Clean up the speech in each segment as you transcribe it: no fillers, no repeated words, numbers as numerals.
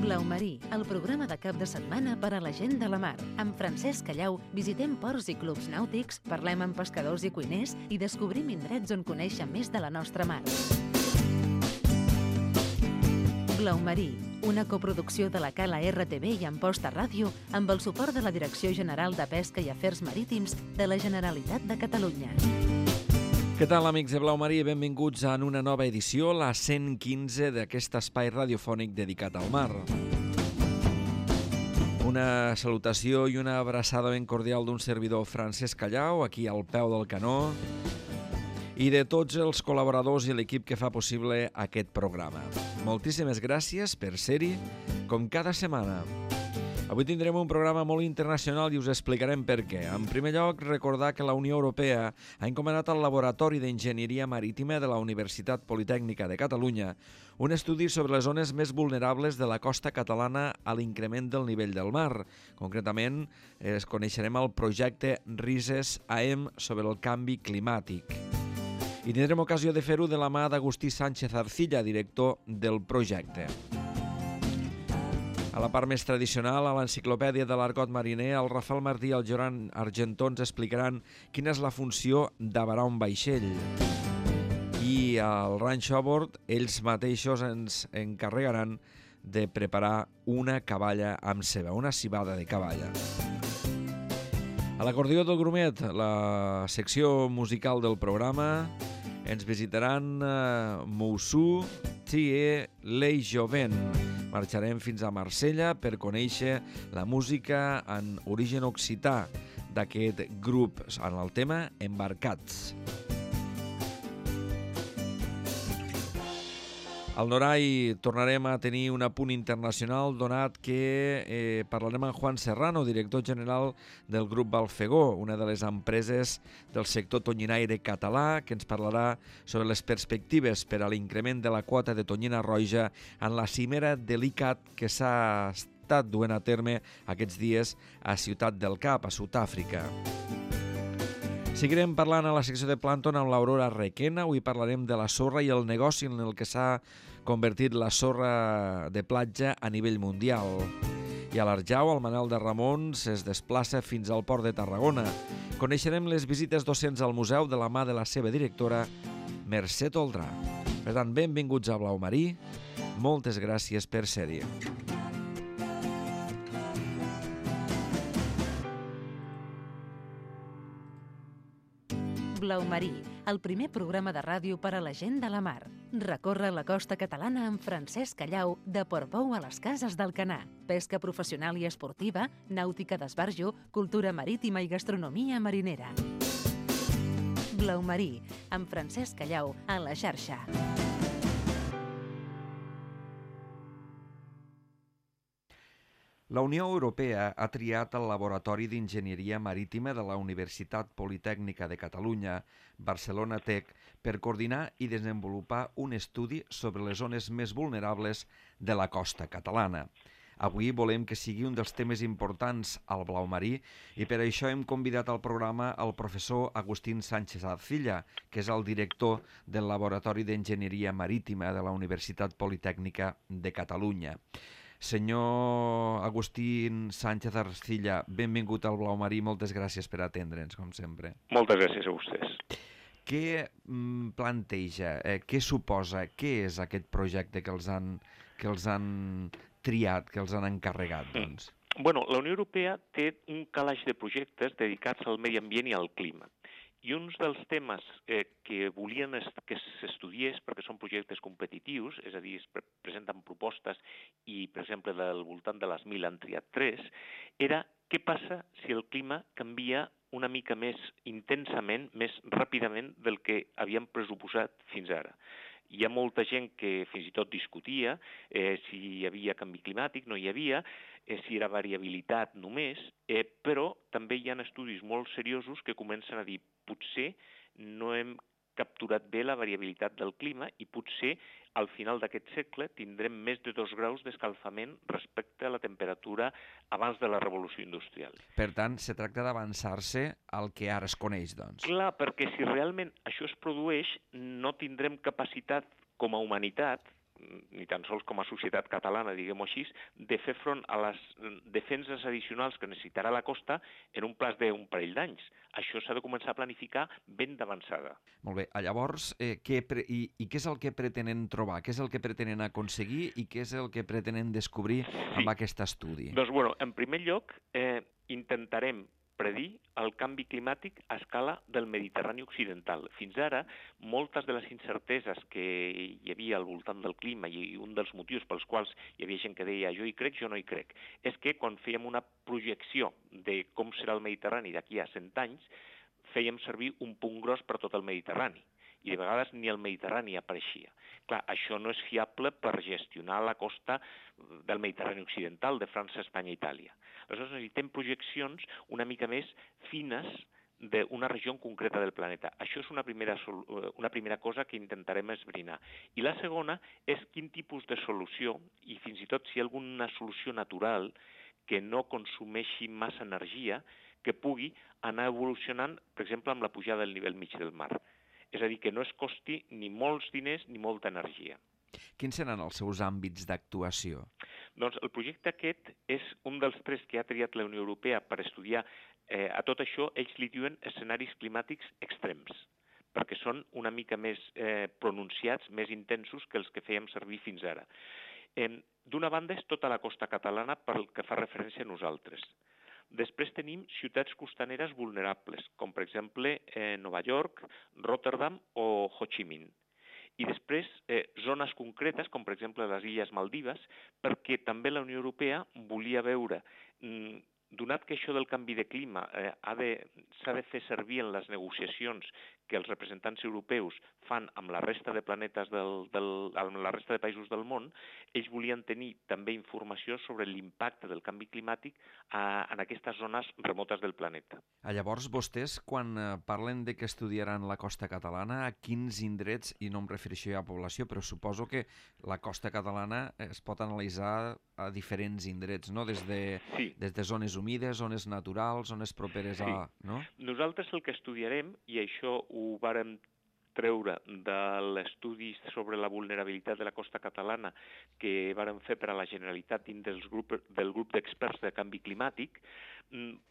Blau Marí, el programa de cap de setmana per a la gent de la mar. Amb Francesc Callau visitem ports i clubs nàutics, parlem amb pescadors i cuiners i descobrim indrets on conèixer més de la nostra mar. Blau Marí, una coproducció de la Cala RTV i Amposta Ràdio amb el suport de la Direcció General de Pesca i Afers Marítims de la Generalitat de Catalunya. Què tal, amics de Blau Marí? Benvinguts a una nova edició, la 115 d'aquest espai radiofònic dedicat al mar. Una salutació i una abraçada ben cordial d'un servidor Francesc Callau, aquí al peu del canó, i de tots els col·laboradors i l'equip que fa possible aquest programa. Moltíssimes gràcies per ser-hi, com cada setmana. Avui tindrem un programa molt internacional i us explicarem per què. En primer lloc, recordar que la Unió Europea ha encomanat al Laboratori d'Enginyeria Marítima de la Universitat Politècnica de Catalunya un estudi sobre les zones més vulnerables de la costa catalana a l'increment del nivell del mar. Concretament, coneixerem el projecte RISES-AM sobre el canvi climàtic. I tindrem ocasió de fer-ho de la mà d'Agustí Sánchez Arcilla, director del projecte. A la part més tradicional, a l'enciclopèdia de l'argot mariner, el Rafael Martí i el Joan Argentó ens explicaran quina és la funció d'avarar un vaixell. I al Rancho a bord, ells mateixos ens encarregaran de preparar una caballa amb ceba, una cibada de caballa. A l'acordió del Grumet, la secció musical del programa, ens visitaran Moussou Thie Le Joven. Marxarem fins a Marsella per conèixer la música en origen occità d'aquest grup en el tema Embarcats. Al Norai tornarem a tenir un apunt internacional donat que parlarem amb Juan Serrano, director general del grup Balfegó, una de les empreses del sector tonyinaire català, que ens parlarà sobre les perspectives per a l'increment de la quota de tonyina roja en la cimera de l'ICCAT que s'ha estat duent a terme aquests dies a Ciutat del Cap, a Sud-àfrica. Seguirem parlant a la secció de plàncton amb l'Aurora Requena. Avui parlarem de la sorra i el negoci en el que s'ha convertit la sorra de platja a nivell mundial. I a l'Arjau, el Manel de Ramons es desplaça fins al port de Tarragona. Coneixerem les visites docents al museu de la mà de la seva directora, Mercè Toldrà. Per tant, benvinguts a Blau Marí. Moltes gràcies per ser-hi. Blau Marí, el primer programa de ràdio per a la gent de la mar. Recorre la costa catalana amb Francesc Callau de Portbou a les Cases d'Alcanar. Pesca professional i esportiva, nàutica d'esbarjo, cultura marítima i gastronomia marinera. Blau Marí, amb Francesc Callau a la xarxa. La Unió Europea ha triat el Laboratori d'Enginyeria Marítima de la Universitat Politècnica de Catalunya, Barcelona Tech, per coordinar i desenvolupar un estudi sobre les zones més vulnerables de la costa catalana. Avui volem que sigui un dels temes importants al Blau Marí i per això hem convidat al programa el professor Agustín Sánchez Arcilla, que és el director del Laboratori d'Enginyeria Marítima de la Universitat Politècnica de Catalunya. Senyor Agustín Sánchez Arcilla, benvingut al Blau Marí, moltes gràcies per atendre'ns, com sempre. Moltes gràcies a vostès. Què planteja, què suposa, què és aquest projecte que els han triat, que els han encarregat, doncs? Bueno, la Unió Europea té un calaix de projectes dedicats al medi ambient i al clima. I uns dels temes que volien que s'estudiés, perquè són projectes competitius, és a dir, es presenten propostes i, per exemple, del voltant de les 1.000 han triat 3, era què passa si el clima canvia una mica més intensament, més ràpidament del que havíem pressuposat fins ara. Hi ha molta gent que fins i tot discutia si hi havia canvi climàtic, no hi havia, si era variabilitat només, però també hi ha estudis molt seriosos que comencen a dir potser no hem capturat bé la variabilitat del clima i potser al final d'aquest segle tindrem més de 2 graus d'escalfament respecte a la temperatura abans de la revolució industrial. Per tant, se tracta d'avançar-se al que ara es coneix, doncs. Clar, perquè si realment això es produeix, no tindrem capacitat com a humanitat ni tan sols com a societat catalana, diguem-ho així, de fer front a les defenses addicionals que necessitarà la costa en un plaç d'un parell d'anys. Això s'ha de començar a planificar ben d'avançada. Molt bé. Llavors, què és el que pretenen trobar? Què és el que pretenen aconseguir i què és el que pretenen descobrir amb aquest estudi? Doncs, bueno, en primer lloc, intentarem predir el canvi climàtic a escala del Mediterrani occidental. Fins ara, moltes de les incerteses que hi havia al voltant del clima i un dels motius pels quals hi havia gent que deia jo hi crec, jo no hi crec, és que quan fèiem una projecció de com serà el Mediterrani d'aquí a 100 anys, fèiem servir un punt gros per tot el Mediterrani i de vegades ni el Mediterrani apareixia. Clar, això no és fiable per gestionar la costa del Mediterrani occidental, de França, Espanya i Itàlia. Aleshores necessitem projeccions una mica més fines d'una regió concreta del planeta. Això és una primera cosa que intentarem esbrinar. I la segona és quin tipus de solució, i fins i tot si hi ha alguna solució natural que no consumeixi massa energia, que pugui anar evolucionant, per exemple, amb la pujada del nivell mig del mar. És a dir, que no es costi ni molts diners ni molta energia. Quins seran els seus àmbits d'actuació? Doncs el projecte aquest és un dels 3 que ha triat la Unió Europea per estudiar a tot això. Ells li diuen escenaris climàtics extrems, perquè són una mica més pronunciats, més intensos que els que fèiem servir fins ara. D'una banda és tota la costa catalana pel que fa referència a nosaltres. Després tenim ciutats costaneres vulnerables, com per exemple Nova York, Rotterdam o Ho Chi Minh. I després zones concretes, com per exemple les Illes Maldives, perquè també la Unió Europea volia veure, donat que això del canvi de clima s'ha de fer servir en les negociacions que els representants europeus fan amb la resta de planetes amb la resta de països del món, ells volien tenir també informació sobre l'impacte del canvi climàtic en aquestes zones remotes del planeta. Llavors, vostès, quan parlen de que estudiaran la costa catalana, a quins indrets, i no em refereixo ja a població, però suposo que la costa catalana es pot analitzar a diferents indrets, no? Des de zones humides, zones naturals, zones properes a... No? Nosaltres el que estudiarem, i això ho vàrem treure de l'estudi sobre la vulnerabilitat de la costa catalana que vàrem fer per a la Generalitat dins del grup d'experts de canvi climàtic,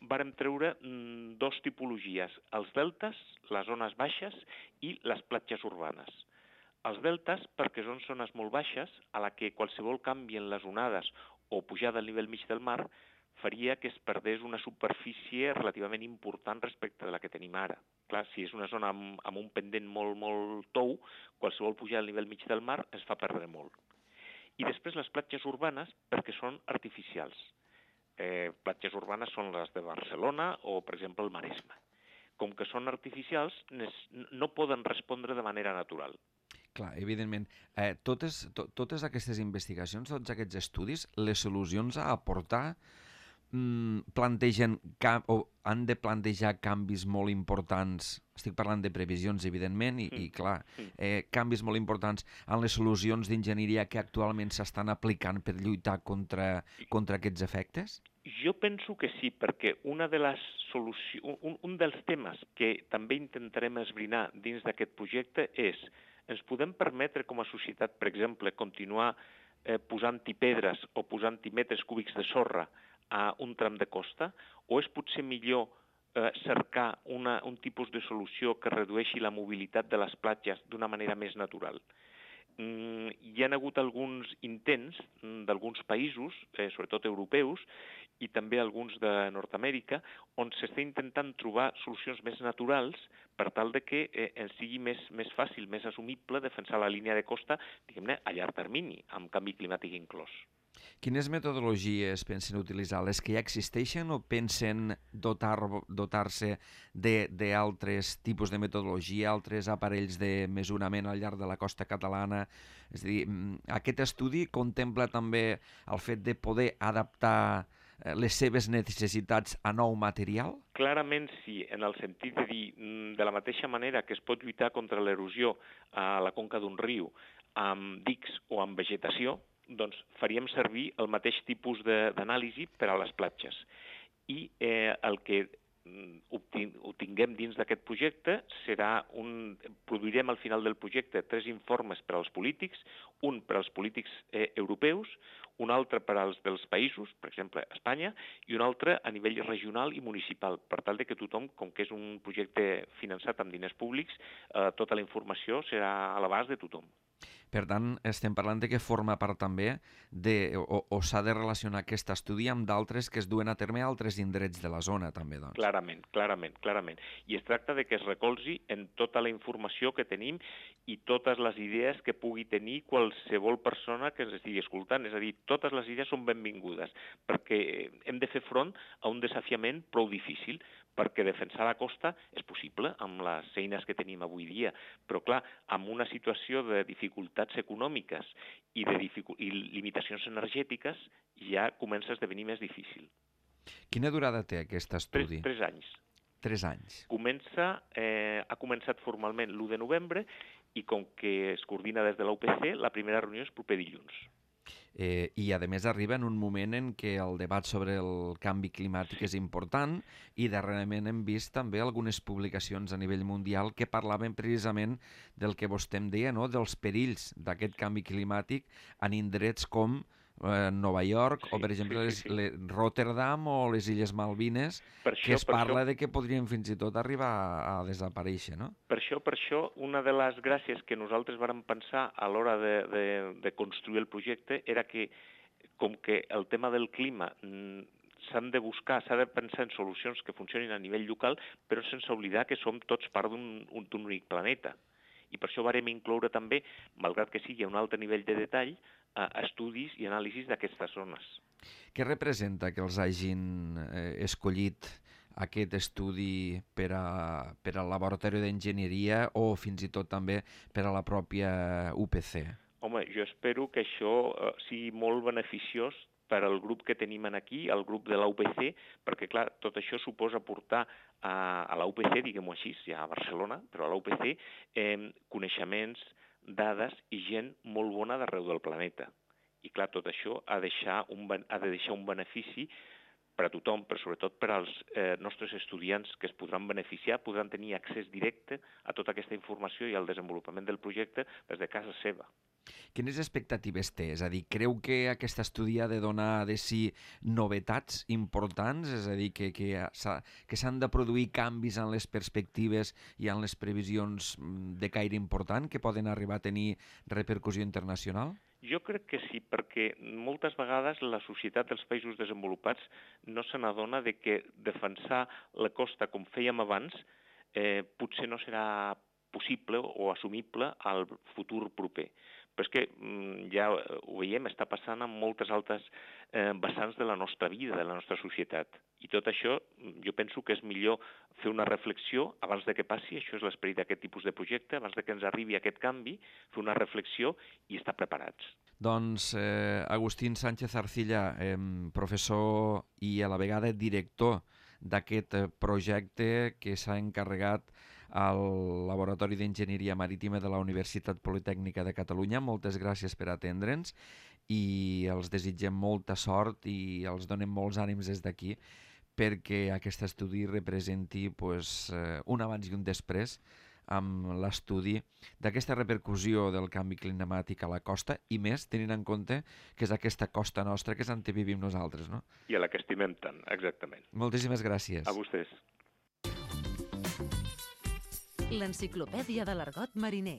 vàrem treure 2 tipologies, els deltes, les zones baixes i les platges urbanes. Els deltes, perquè són zones molt baixes, a la que qualsevol canvi en les onades o pujada al nivell mig del mar faria que es perdés una superfície relativament important respecte de la que tenim ara. Clar, si és una zona amb un pendent molt tou, qualsevol pujada al nivell mig del mar es fa perdre molt. I després les platges urbanes, perquè són artificials. Platges urbanes són les de Barcelona o, per exemple, el Maresme. Com que són artificials, no poden respondre de manera natural. Clar, evidentment. Totes aquestes investigacions, tots aquests estudis, les solucions a aportar plantegen o han de plantejar canvis molt importants, estic parlant de previsions, evidentment, i clar, canvis molt importants en les solucions d'enginyeria que actualment s'estan aplicant per lluitar contra aquests efectes? Jo penso que sí, perquè un dels temes que també intentarem esbrinar dins d'aquest projecte és ens podem permetre com a societat, per exemple, continuar posant-hi pedres o posant-hi metres cúbics de sorra a un tram de costa, o és potser millor cercar un tipus de solució que redueixi la mobilitat de les platges d'una manera més natural? Hi ha hagut alguns intents d'alguns països, sobretot europeus, i també alguns de Nord-Amèrica, on s'està intentant trobar solucions més naturals per tal de que ens sigui més fàcil, més assumible defensar la línia de costa, diguem-ne, a llarg termini, amb canvi climàtic inclòs. Quines metodologies pensen utilitzar? Les que ja existeixen o pensen dotar-se d'altres tipus de metodologia, altres aparells de mesurament al llarg de la costa catalana? És a dir, aquest estudi contempla també el fet de poder adaptar les seves necessitats a nou material? Clarament sí, en el sentit de dir, de la mateixa manera que es pot lluitar contra l'erosió a la conca d'un riu amb dics o amb vegetació, doncs faríem servir el mateix tipus d'anàlisi per a les platges. I el que ho tinguem dins d'aquest projecte, produirem al final del projecte 3 informes per als polítics, un per als polítics europeus, un altre per als dels països, per exemple, Espanya, i un altre a nivell regional i municipal, per tal de que tothom, com que és un projecte finançat amb diners públics, tota la informació serà a l'abast de tothom. Per tant, estem parlant de que forma part també o s'ha de relacionar aquest estudi amb d'altres que es duen a terme a altres indrets de la zona, també, doncs. Clarament. I es tracta de que es recolzi en tota la informació que tenim i totes les idees que pugui tenir qualsevol persona que ens estigui escoltant. És a dir, totes les idees són benvingudes, perquè hem de fer front a un desafiament prou difícil, perquè defensar la costa és possible amb les eines que tenim avui dia, però clar, amb una situació de dificultats econòmiques i limitacions energètiques ja comença a esdevenir més difícil. Quina durada té aquest estudi? 3 anys. 3 anys. Ha començat formalment l'1 de novembre i com que es coordina des de l'UPC, la primera reunió és proper dilluns. I a més arriba en un moment en què el debat sobre el canvi climàtic és important i darrerament hem vist també algunes publicacions a nivell mundial que parlaven precisament del que vostè em deia, no? Dels perills d'aquest canvi climàtic en indrets com Nova York o, per exemple, Rotterdam o les Illes Malvines, que es parla de que podrien fins i tot arribar a desaparèixer, no? Per això, una de les gràcies que nosaltres vàrem pensar a l'hora de construir el projecte era que, com que el tema del clima s'ha de pensar en solucions que funcionin a nivell local, però sense oblidar que som tots part d'un únic planeta. I per això vàrem incloure també, malgrat que sigui a un altre nivell de detall, estudis i anàlisis d'aquestes zones. Què representa que els hagin escollit aquest estudi per al laboratori d'enginyeria o fins i tot també per a la pròpia UPC? Home, jo espero que això sigui molt beneficiós per al grup que tenim aquí, el grup de l'UPC, perquè, clar, tot això suposa portar a l'UPC, diguem-ho així, ja a Barcelona, però a l'UPC, coneixements, dades i gent molt bona d'arreu del planeta. I, clar, tot això ha de deixar un benefici per a tothom, però sobretot per als nostres estudiants que es podran beneficiar, podran tenir accés directe a tota aquesta informació i al desenvolupament del projecte des de casa seva. Quines expectatives té? És a dir, creu que aquest estudi ha de donar de si novetats importants? És a dir, que s'han de produir canvis en les perspectives i en les previsions de caire important que poden arribar a tenir repercussió internacional? Jo crec que sí, perquè moltes vegades la societat dels països desenvolupats no se n'adona de que defensar la costa com fèiem abans potser no serà possible o assumible al futur proper. Però és que ja ho veiem, està passant en moltes altres vessants de la nostra vida, de la nostra societat. I tot això jo penso que és millor fer una reflexió abans de que passi, això és l'esperit d'aquest tipus de projecte, abans de que ens arribi aquest canvi, fer una reflexió i estar preparats. Doncs Agustín Sánchez Arcilla, professor i a la vegada director d'aquest projecte que s'ha encarregat al Laboratori d'Enginyeria Marítima de la Universitat Politècnica de Catalunya. Moltes gràcies per atendre'ns i els desitgem molta sort i els donem molts ànims des d'aquí perquè aquest estudi representi un abans i un després amb l'estudi d'aquesta repercussió del canvi climàtic a la costa i més tenint en compte que és aquesta costa nostra que és on vivim nosaltres, no? I a la que estimem tant, exactament. Moltíssimes gràcies. A vostès. L'enciclopèdia de l'argot mariner.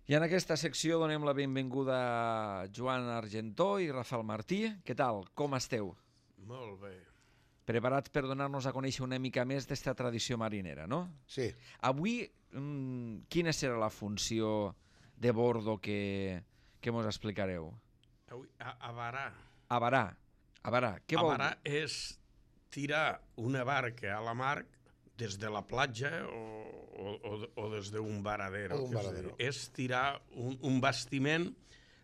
I en aquesta secció donem la benvinguda a Joan Argentó i Rafael Martí. Què tal? Com esteu? Molt bé. Preparats per donar-nos a conèixer una mica més d'esta tradició marinera, no? Sí. Avui, quina serà la funció de bordo que mos explicareu? Avui, avarar. Avarar. Què vol dir? Avarar és tirar una barca a la mar des de la platja o des d'un varadero. És tirar un bastiment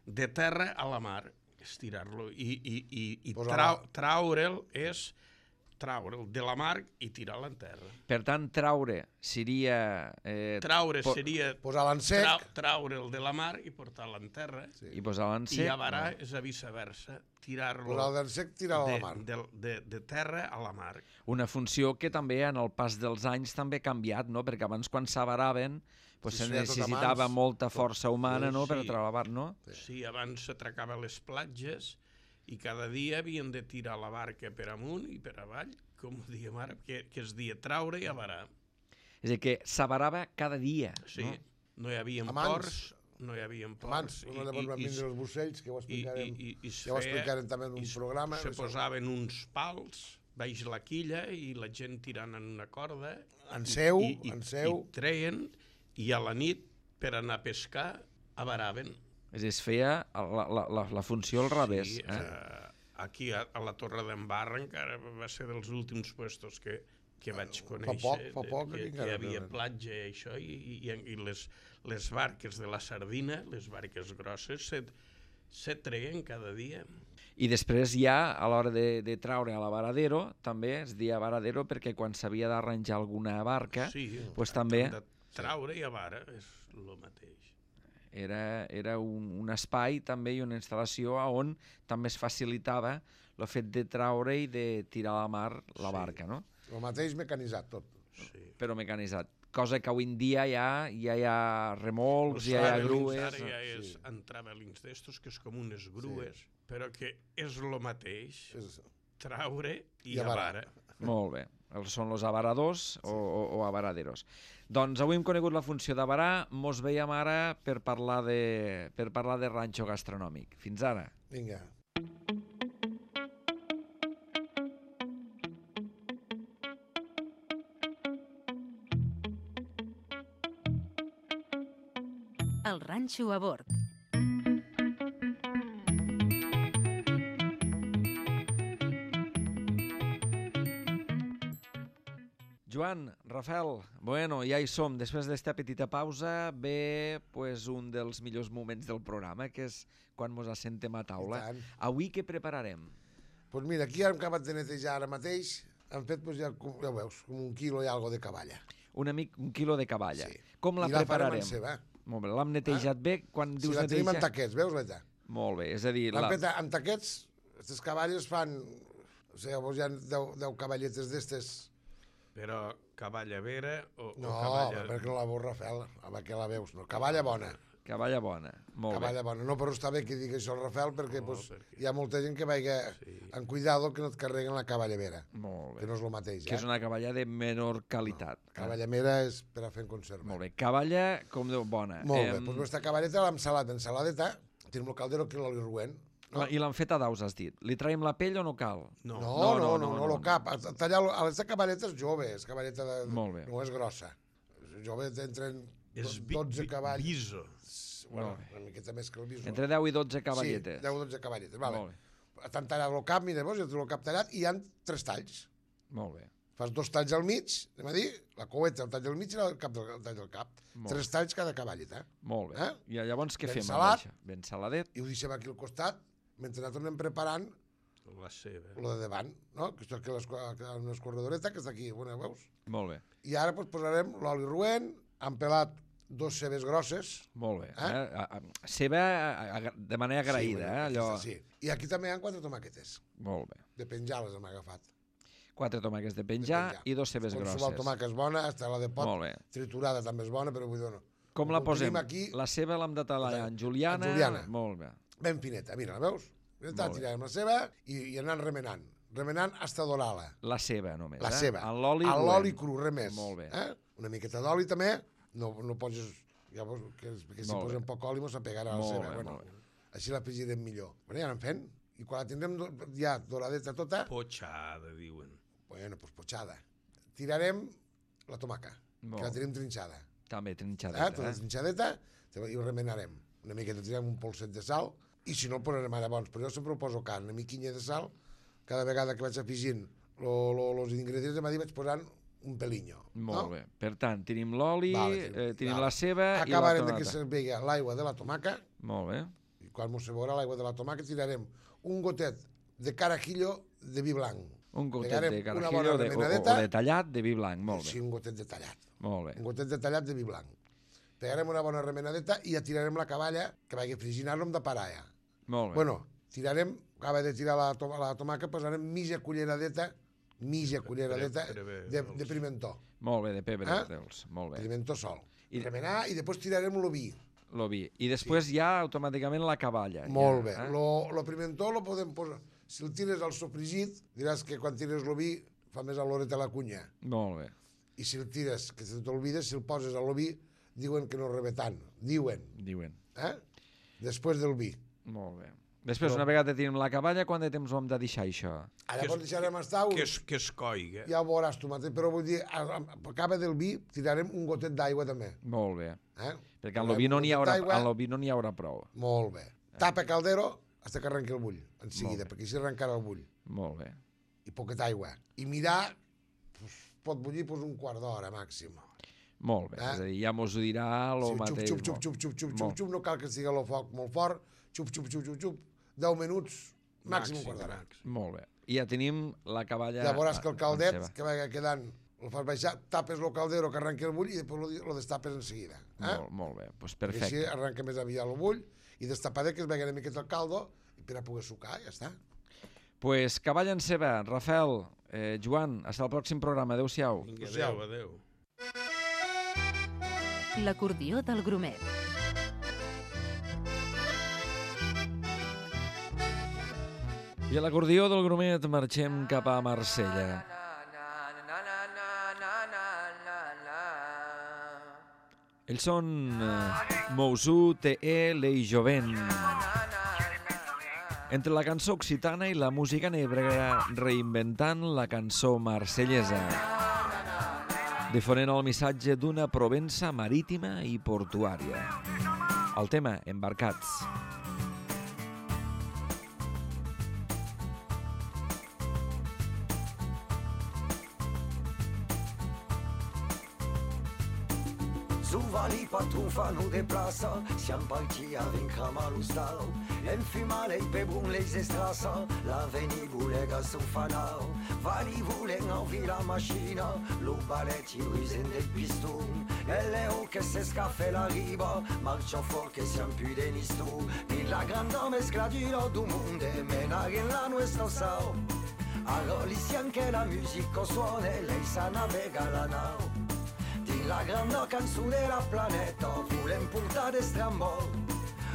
de terra a la mar, és tirar-lo i traure'l és traure'l de la mar i tirar-la en terra. Per tant, traure seria... Traure seria posar-la en sec, traure'l de la mar i portar-la en terra. I posar-la en sec. I avarar és a viceversa, tirar-lo posar-la en sec, tirar-la a la mar. de terra a la mar. Una funció que també en el pas dels anys també ha canviat, no? Perquè abans quan s'avaraven se necessitava molta força humana per treballar, no? Sí, abans s'atracava les platges i cada dia havien de tirar la barca per amunt i per avall, com ho diem ara, que es dia traure i avarar. És a dir, que s'avarava cada dia. Sí, no hi havia ports, no hi havia ports. Abans, llavors van vindre els bucells, que ja ho explicarem també en un programa. Se posaven uns pals baix la quilla i la gent tirant en una corda. En seu. I treien, i a la nit, per anar a pescar, avaraven. És a dir, es feia la funció al revés. Sí, aquí a la Torre d'en Barra encara va ser dels últims puestos que vaig conèixer. Fa poc que hi havia platja i això, i les barques de la sardina, les barques grosses, se treien cada dia. I després ja, a l'hora de traure a la varadero, també es deia varadero perquè quan s'havia d'arranjar alguna barca, doncs també... Traure i avara és el mateix. Era un espai també i una instal·lació on també es facilitava el fet de traure i de tirar a la mar la barca, no? El mateix mecanitzat tot. Sí. Però mecanitzat. Cosa que avui en dia ja hi ha remolcs, ja hi ha grues... Ara ja és entravelins d'estos, que és com unes grues, però que és el mateix, traure i avara. Molt bé. Són els avaradors o avaraderos. Doncs avui hem conegut la funció d'avarar, mos veiem ara per parlar de ranxo gastronòmic. Fins ara. Vinga. El ranxo a bord. Joan, Rafael, bueno, ja hi som. Després d'esta petita pausa ve pues, un dels millors moments del programa, que és quan ens assentem a taula. Avui què prepararem? Doncs mira, aquí hem acabat de netejar ara mateix, hem fet, pues, ja ho veus, com 1 quilo i algo de caballa. Un quilo de caballa. Sí. Com la prepararem? I la farem en ceba. Molt bé, l'hem netejat bé? Quan dius la tenim en taquets, veus, Leta? Molt bé, és a dir... L'hem fet en taquets, aquestes caballes fan... O sigui, llavors hi ha 10 cavalletes d'estes... Però cavalla vera o cavalla... No, perquè no la veus, Rafael, que la veus, no. Cavalla bona. Cavalla bona, molt cavalla bé. Bona. No, però està bé que digui això el Rafael, perquè, hi ha molta gent que vagi en cuidado que no et carreguen la cavalla vera. Molt bé. Que no és el mateix, Que és una cavalla de menor qualitat. No, cavalla vera és per a fer en conserva. Molt bé, cavalla com Déu bona. Molt bé, doncs aquesta cavalleta l'hem salat en saladeta, tenim el caldero que l'oli roent. No? I l'han fet a daus, has dit. Li traiem la pell o no cal? No, cap. Tallar aquesta cavalleta és jove, és cavalleta no és grossa. Jove entre 12 cavalls. Biso. Bueno, una miqueta més que el biso. Entre 10 i 12 cavalletes. Sí, 10 o 12 cavalletes, vale. T'han tallat el cap, mira, jo tinc el cap tallat i hi ha 3 talls. Molt bé. Fas 2 talls al mig, anem a dir, la coueta, el tall del mig i el tall del cap. 3 talls cada cavalleta. Molt bé. I llavors què fem amb això? Ben saladet. I ho deixem aquí al costat, mentre nosaltres anem preparant la ceba. Lo de davant, no? Que això aquí una escorredoreta, que està aquí, bueno, veus? Molt bé. I ara posarem l'oli roent, han pelat 2 cebes grosses. Molt bé. Ceba de manera agraïda, allò... Sí. I aquí també hi ha 4 tomàquetes. Molt bé. De penjar les hem agafat. 4 tomàquets de penjar i 2 cebes grosses. Qualsevol tomàquet és bona, hasta la de pot triturada també és bona, però vull dir no. Com la posem? La ceba l'hem de tallar en juliana. Molt bé. Ben fineta, mira, la veus? Tirarem la ceba i anant remenant. Remenant hasta dorar-la. La ceba només, La ceba. En l'oli a l'oli cru, res més. Molt bé. Una miqueta d'oli també, no poses... Llavors, que si posem poc oli mos apegarà la ceba. Bueno, així la afegirem millor. Bueno, ja anem fent. I quan la tindrem ja doradeta tota... Potxada, diuen. Bueno, doncs potxada. Tirarem la tomaca, que la tenim trinxada. També trinxadeta. Tota trinxadeta i ho remenarem. Una miqueta tirem un polset de sal i si no el posarem ara bons. Però jo sempre ho poso carn, una miquinha de sal. Cada vegada que vaig afegint els ingredients de vaig posant un pelinyo. Molt bé. Per tant, tenim l'oli, tenim la ceba i la tomata. Acabarem que se vegi l'aigua de la tomaca. Molt bé. I quan se veurà l'aigua de la tomaca tirarem un gotet de carajillo de vi blanc. Un gotet de carajillo o de tallat de vi blanc, molt bé. Sí, un gotet de tallat. Molt bé. Un gotet de tallat de vi blanc. Pegarem una bona remenadeta i ja tirarem la cavalla, que vagi frigint-lo amb de parar ja. Molt bé. Bueno, tirarem, acaba de tirar la tomaca, posarem mitja culleradeta de pimentó. Molt bé, de pebre, molt bé. Pimentó sol. Remenar i després tirarem l'oví. L'oví. I després ja automàticament la cavalla. Molt bé. Lo pimentó lo podem posar... Si el tires al sofregit, diràs que quan tires l'oví fa més oloreta la cunya. Molt bé. I si el tires, que se t'olvides, si el poses a l'oví, diuen que no rebe tant. Diuen. Després del vi. Molt bé. Després, una vegada tenim la cavalla, quant de temps ho hem de deixar, això? Llavors deixarem estar... Que es coigui. Ja ho veuràs tu mateix, però vull dir, acaba del vi, tirarem un gotet d'aigua també. Molt bé. Perquè en l'oví no n'hi haurà prou. Molt bé. Tapa caldero fins que arrenqui el bull, en seguida, perquè així arrencarà el bull. Molt bé. I poqueta aigua. I mirar, pot bullir un quart d'hora màxim. Molt bé, és a dir, ja mos ho dirà el mateix. Xup, no cal que estigui el foc molt fort, xup, 10 minuts, màxim un quart d'hora. Molt bé. I ja tenim la cavalla... Ja veuràs que el caldet que va quedant, el fas baixar, tapes el caldero que arrenqui el bull i després lo destapes en seguida. Molt bé, doncs perfecte. Així arrenca més aviat el bull i destapadet que es vegi una miqueta el caldo i per a poder sucar, ja està. Pues cavalla en ceba, Rafael, Joan, fins al pròxim programa. Adéu-siau. Adéu. L'acordió del Grumet. I a l'acordió del Grumet marxem cap a Marsella. Ells són Mousou, T.E., Lei Jovent. Entre la cançó occitana i la música negra reinventant la cançó marsellesa, difonent el missatge d'una Provença marítima i portuària. El tema, Embarcats. Zuvali patrufa nu deplaça, siam partia vin crama l'ustal. Enfumale pe bun les estrasa, la veni bulega su fanal. Vali vulen envi la macchina, lo balletti luisen del piston. E leo che se scaffe la riva, marcia for che siam più denistu. Din la grande mescla du mondo, menare in la nostra sao. Arolisi anche la musica suona, lei sa navega la nau. La grande canzone della planeta volem portare strambol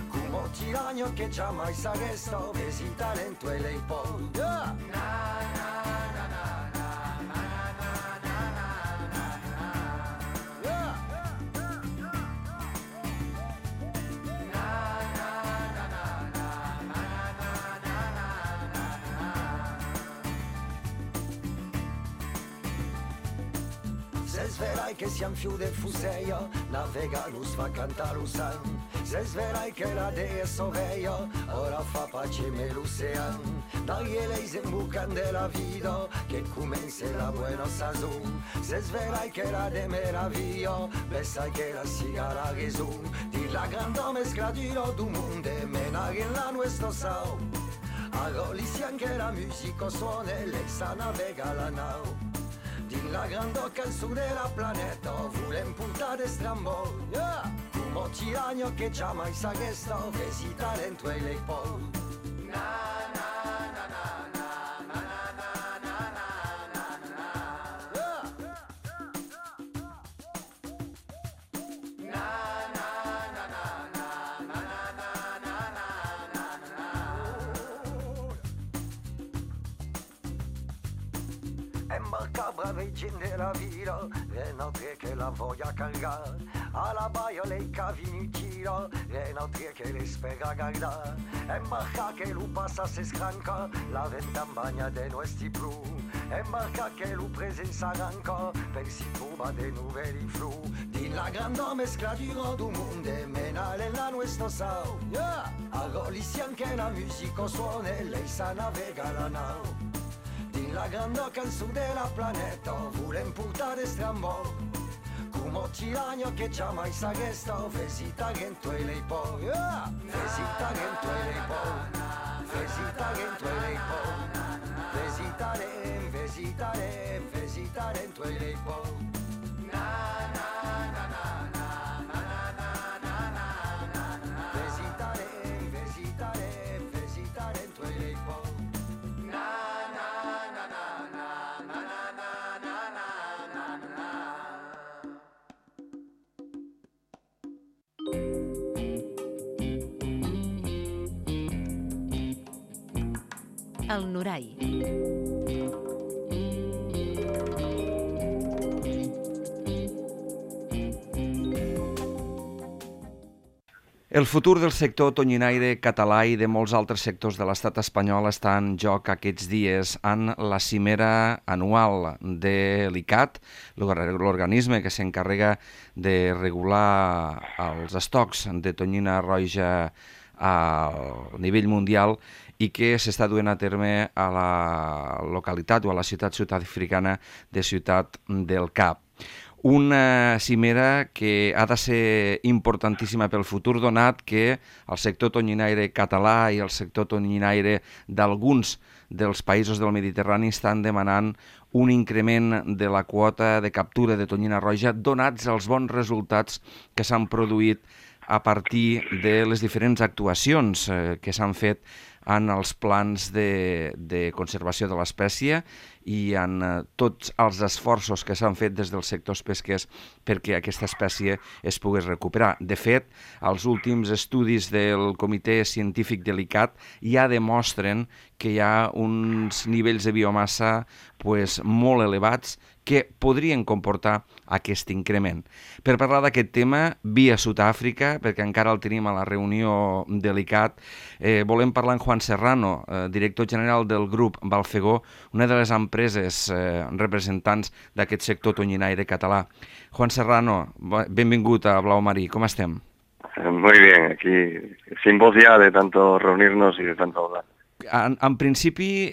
come tiranio che jamais s'arresta vesi talento e lei poi Se sverai che siam fiu de fuseia, navega lus fa canta l'usan. Se sverai che la dea soveia, ora fa pace me l'ocean. Dagli lei sembucan de la vida, che comense la buena sazon. Se sverai che la de meraviglia, pensai che la siga la raison. Di la grande mescla du mondo, menare in la nuestro sao. Arolisi anche la musica suona, lei sa navega la nau. Din la grande canzone della planeta volem portare strambol come tiranio che jamais s'arresta vesi talento e lei poi Embarcabra vicin della vita, è notre che la voglia cargar. Alla baia lei cavi inutile, è notre che le spera guardar. Embarca che lu passa se scranca, la venta bagna de nostri blu. Embarca che lu presenza arranca, per si trova de nuovi flu. Din la grande mescla du mondo, menare la nostra sao. Arolisi anche la musica suona, lei sa navega la nau. Din la grande canzone della planeta volem portare strambol come tiranio che jamais s'arresta vesi talento e lei poi vesi talento e lei poi vesi talento e lei poi vesi talento Visitaré en tu equipo. Na na na na na na na na na na na. Visitaré en tu equipo. Na na na na na na na na na na na. El Norai. El futur del sector tonyinaire català i de molts altres sectors de l'estat espanyol està en joc aquests dies en la cimera anual de l'ICAT, l'organisme que s'encarrega de regular els estocs de tonyina roja a nivell mundial i que s'està duent a terme a la localitat o a la ciutat sud-africana de Ciutat del Cap. Una cimera que ha de ser importantíssima pel futur, donat que el sector tonyinaire català i el sector tonyinaire d'alguns dels països del Mediterrani estan demanant un increment de la quota de captura de tonyina roja, donats els bons resultats que s'han produït a partir de les diferents actuacions que s'han fet en els plans de conservació de l'espècie i en tots els esforços que s'han fet des dels sectors pesquers perquè aquesta espècie es pogués recuperar. De fet, els últims estudis del Comitè Científic de l'ICAT ja demostren que hi ha uns nivells de biomassa molt elevats que podrien comportar aquest increment. Per parlar d'aquest tema, via Sud-àfrica, perquè encara el tenim a la reunió de l'ICAT, volem parlar amb Juan Serrano, director general del grup Balfegó, una de les empreses representants d'aquest sector tonyinaire català. Juan Serrano, benvingut a Blau Marí, com estem? Muy bien, aquí sin voz ya de tanto reunirnos y de tanto hablar. En principi,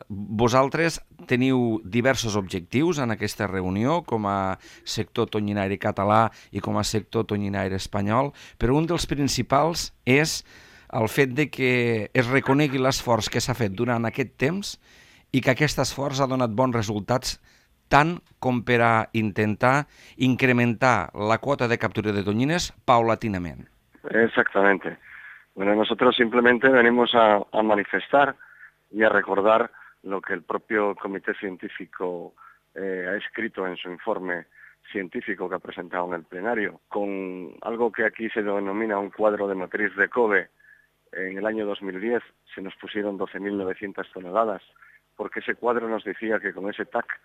vosaltres teniu diversos objectius en aquesta reunió com a sector tonyinaire català i com a sector tonyinaire espanyol, però un dels principals és el fet de que es reconegui l'esforç que s'ha fet durant aquest temps i que aquest esforç ha donat bons resultats tant com per a intentar incrementar la quota de captura de tonyines paulatinament. Exactamente. Bueno, nosotros simplemente venimos a manifestar y a recordar lo que el propio Comité Científico ha escrito en su informe científico que ha presentado en el plenario, con algo que aquí se denomina un cuadro de matriz de Kobe. En el año 2010 se nos pusieron 12.900 toneladas, porque ese cuadro nos decía que con ese TAC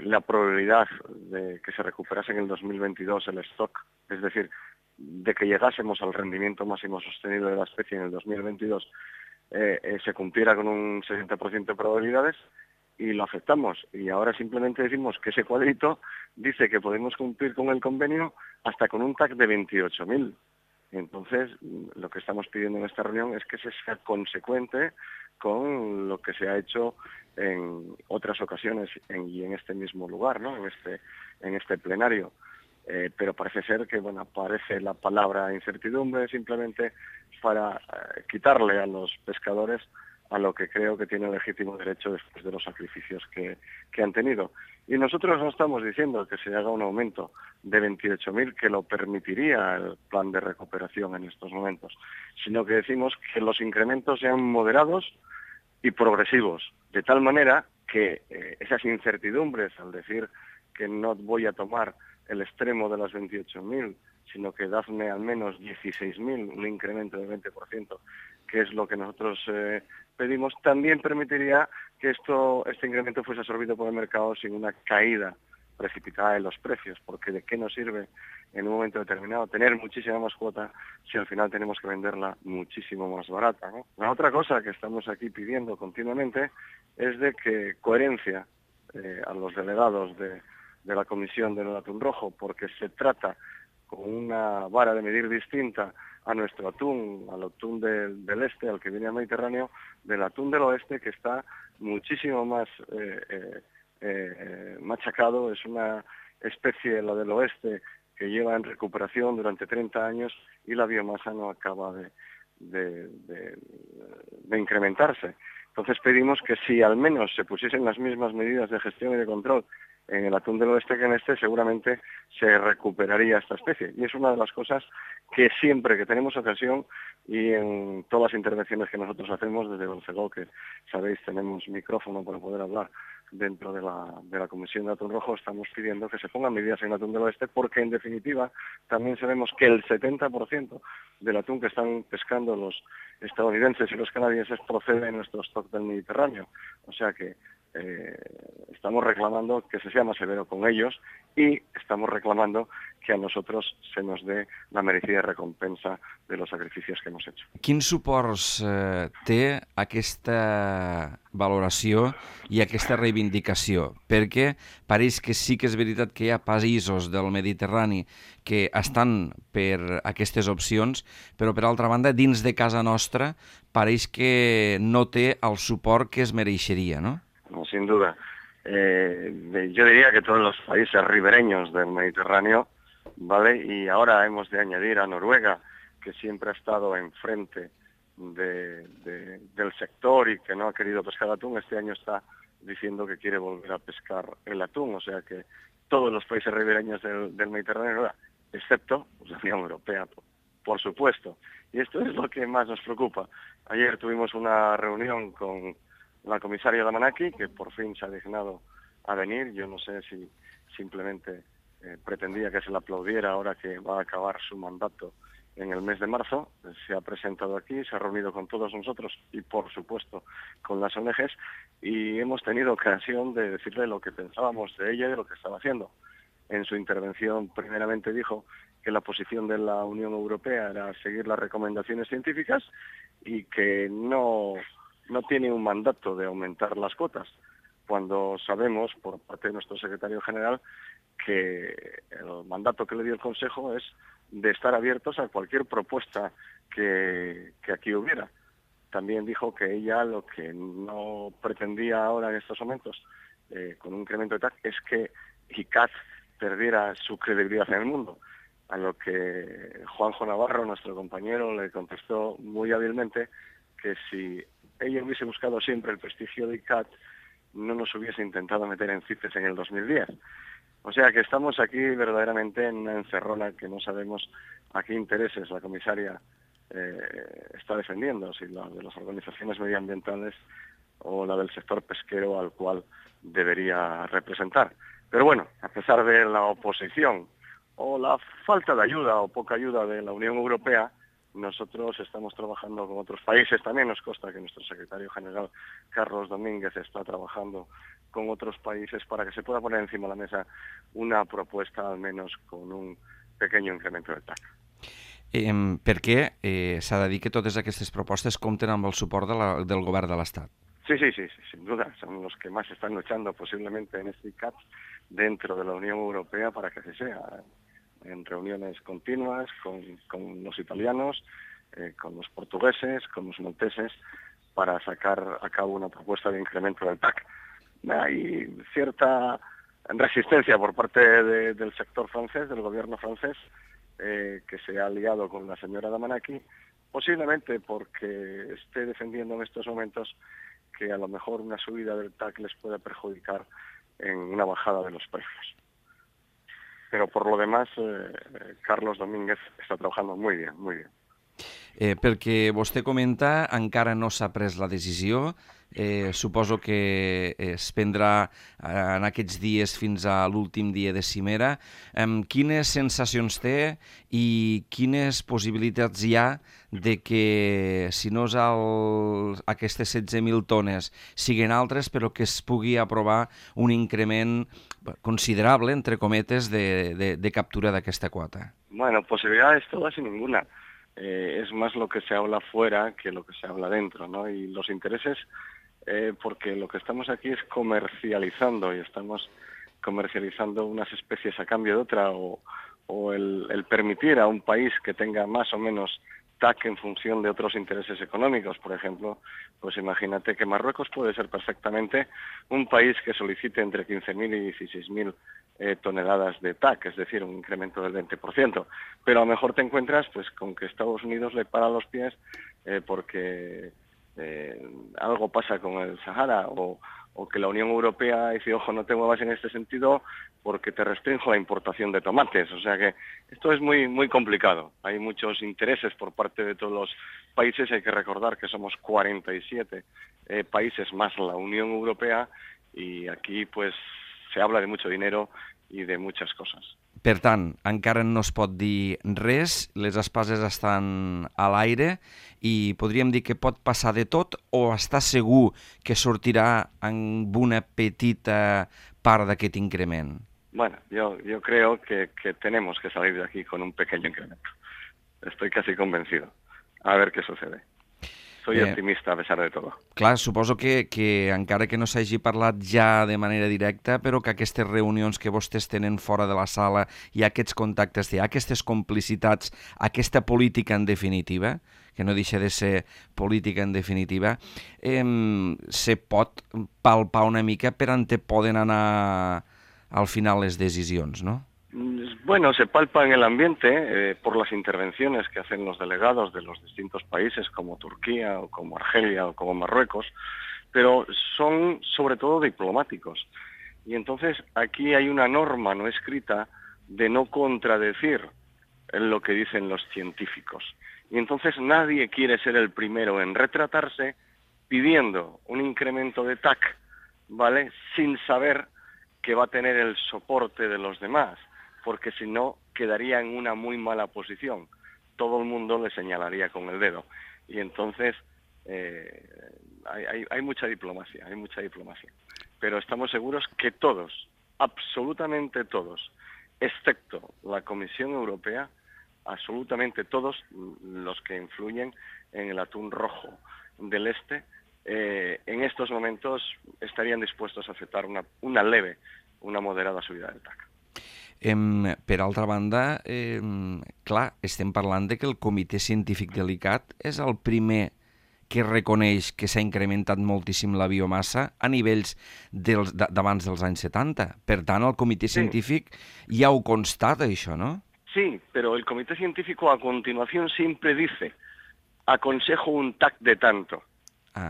la probabilidad de que se recuperase en el 2022 el stock, es decir, de que llegásemos al rendimiento máximo sostenible de la especie en el 2022, se cumpliera con un 60% de probabilidades, y lo aceptamos. Y ahora simplemente decimos que ese cuadrito dice que podemos cumplir con el convenio hasta con un TAC de 28.000. Entonces, lo que estamos pidiendo en esta reunión es que se sea consecuente con lo que se ha hecho en otras ocasiones y en este mismo lugar, ¿no? En este plenario. Pero parece ser que, aparece la palabra incertidumbre simplemente para quitarle a los pescadores a lo que creo que tiene legítimo derecho después de los sacrificios que han tenido. Y nosotros no estamos diciendo que se haga un aumento de 28.000 que lo permitiría el plan de recuperación en estos momentos, sino que decimos que los incrementos sean moderados y progresivos, de tal manera que esas incertidumbres, al decir que no voy a tomar el extremo de las 28.000, sino que dadme al menos 16.000, un incremento del 20%, que es lo que nosotros pedimos, también permitiría que este incremento fuese absorbido por el mercado sin una caída precipitada de los precios, porque ¿de qué nos sirve en un momento determinado tener muchísima más cuota si al final tenemos que venderla muchísimo más barata, ¿no? La otra cosa que estamos aquí pidiendo continuamente es de que coherencia a los delegados de la Comisión del Atún Rojo, porque se trata con una vara de medir distinta a nuestro atún, al atún del este, al que viene al Mediterráneo, del atún del oeste, que está muchísimo más machacado. Es una especie, la del oeste, que lleva en recuperación durante 30 años y la biomasa no acaba de incrementarse. Entonces pedimos que si al menos se pusiesen las mismas medidas de gestión y de control en el atún del oeste que en este, seguramente se recuperaría esta especie. Y es una de las cosas que siempre que tenemos ocasión y en todas las intervenciones que nosotros hacemos desde Belfegó, que sabéis tenemos micrófono para poder hablar dentro de la Comisión de Atún Rojo, estamos pidiendo que se pongan medidas en el atún del oeste, porque en definitiva también sabemos que el 70% del atún que están pescando los estadounidenses y los canadienses procede de nuestro stock del Mediterráneo. O sea que estamos reclamando que se sea más severo con ellos y estamos reclamando que a nosotros se nos dé la merecida recompensa de los sacrificios que hemos hecho. Quins suports té aquesta valoració i aquesta reivindicació? Perquè pareix que sí que és veritat que hi ha països del Mediterrani que estan per aquestes opcions, però per altra banda, dins de casa nostra, pareix que no té el suport que es mereixeria, ¿no? No, sin duda. Yo diría que todos los países ribereños del Mediterráneo, ¿vale? Y ahora hemos de añadir a Noruega, que siempre ha estado enfrente del sector y que no ha querido pescar atún, este año está diciendo que quiere volver a pescar el atún. O sea que todos los países ribereños del Mediterráneo, excepto la Unión Europea, por supuesto. Y esto es lo que más nos preocupa. Ayer tuvimos una reunión con la comisaria Damanaki, que por fin se ha dignado a venir. Yo no sé si simplemente pretendía que se le aplaudiera ahora que va a acabar su mandato en el mes de marzo. Se ha presentado aquí, se ha reunido con todos nosotros y, por supuesto, con las ONGs, y hemos tenido ocasión de decirle lo que pensábamos de ella y de lo que estaba haciendo. En su intervención, primeramente dijo que la posición de la Unión Europea era seguir las recomendaciones científicas y que no tiene un mandato de aumentar las cuotas, cuando sabemos, por parte de nuestro secretario general, que el mandato que le dio el Consejo es de estar abiertos a cualquier propuesta que aquí hubiera. También dijo que ella lo que no pretendía ahora en estos momentos, con un incremento de TAC, es que ICAT perdiera su credibilidad en el mundo, a lo que Juanjo Navarro, nuestro compañero, le contestó muy hábilmente que si ella hubiese buscado siempre el prestigio de ICAT, no nos hubiese intentado meter en CITES en el 2010. O sea que estamos aquí verdaderamente en una encerrona que no sabemos a qué intereses la comisaria está defendiendo, si la de las organizaciones medioambientales o la del sector pesquero al cual debería representar. Pero bueno, a pesar de la oposición o la falta de ayuda o poca ayuda de la Unión Europea, nosotros estamos trabajando con otros países. También nos consta que nuestro secretario general, Carlos Domínguez, está trabajando con otros países para que se pueda poner encima de la mesa una propuesta, al menos con un pequeño incremento del TAC. Perquè s'ha de dir que totes aquestes propostes compten amb el suport del govern de l'Estat. Sí, sin duda. Son los que más están luchando posiblemente en este CAP dentro de la Unión Europea para que así sea. En reuniones continuas con los italianos, con los portugueses, con los malteses, para sacar a cabo una propuesta de incremento del TAC. Hay cierta resistencia por parte del sector francés, del gobierno francés, que se ha aliado con la señora Damanaki, posiblemente porque esté defendiendo en estos momentos que a lo mejor una subida del TAC les pueda perjudicar en una bajada de los precios. Pero por lo demás, Carlos Domínguez està trabajando muy bien, muy bien. Perquè vostè comenta, encara no s'ha pres la decisió, suposo que es prendrà en aquests dies fins a l'últim dia de cimera. Quines sensacions té i quines possibilitats hi ha de que, si no és aquestes 16.000 tones, siguin altres, però que es pugui aprovar un increment considerable, entre cometes, de captura d'aquesta quota? Bueno, posibilidades todas y ninguna. Es más lo que se habla fuera que lo que se habla dentro, ¿no? Y los intereses, porque lo que estamos aquí es comercializando, y estamos comercializando unas especies a cambio de otra, o el permitir a un país que tenga más o menos TAC en función de otros intereses económicos. Por ejemplo, pues imagínate que Marruecos puede ser perfectamente un país que solicite entre 15.000 y 16.000 toneladas de TAC, es decir, un incremento del 20%. Pero a lo mejor te encuentras pues con que Estados Unidos le para los pies porque algo pasa con el Sahara o que la Unión Europea dice, ojo, no te muevas en este sentido porque te restringo la importación de tomates. O sea que esto es muy, muy complicado. Hay muchos intereses por parte de todos los países. Hay que recordar que somos 47 países más la Unión Europea y aquí pues se habla de mucho dinero i de muchas coses. Per tant, encara no es pot dir res, les espases estan a l'aire i podríem dir que pot passar de tot o està segur que sortirà amb una petita part d'aquest increment? Bueno, yo creo que tenemos que salir de aquí con un pequeño incremento. Estoy casi convencido. A ver qué sucede. Soy optimista a pesar de todo. Clar, suposo que encara que no s'hagi parlat ja de manera directa, però que aquestes reunions que vostès tenen fora de la sala i aquests contactes, hi ha aquestes complicitats, aquesta política en definitiva, que no deixa de ser política en definitiva, se pot palpar una mica per on poden anar al final les decisions, no? Bueno, se palpa en el ambiente por las intervenciones que hacen los delegados de los distintos países como Turquía o como Argelia o como Marruecos, pero son sobre todo diplomáticos. Y entonces aquí hay una norma no escrita de no contradecir lo que dicen los científicos. Y entonces nadie quiere ser el primero en retratarse pidiendo un incremento de TAC, ¿vale?, sin saber que va a tener el soporte de los demás, porque si no quedaría en una muy mala posición. Todo el mundo le señalaría con el dedo. Y entonces hay mucha diplomacia, Pero estamos seguros que todos, absolutamente todos, excepto la Comisión Europea, absolutamente todos los que influyen en el atún rojo del este, en estos momentos estarían dispuestos a aceptar una leve, una moderada subida del TAC. Per altra banda, clar, estem parlant de que el Comitè Científic Delicat és el primer que reconeix que s'ha incrementat moltíssim la biomassa a nivells d'abans dels anys 70. Per tant, el Comitè Científic ja ho constata, això, ¿no? Sí, pero el Comité Científico a continuación siempre dice, aconsejo un TAC de tanto,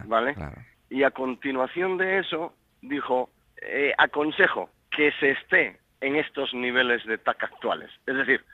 ¿vale? Claro. Y a continuación de eso dijo, aconsejo que se esté en estos niveles de TAC actuales. Es decir,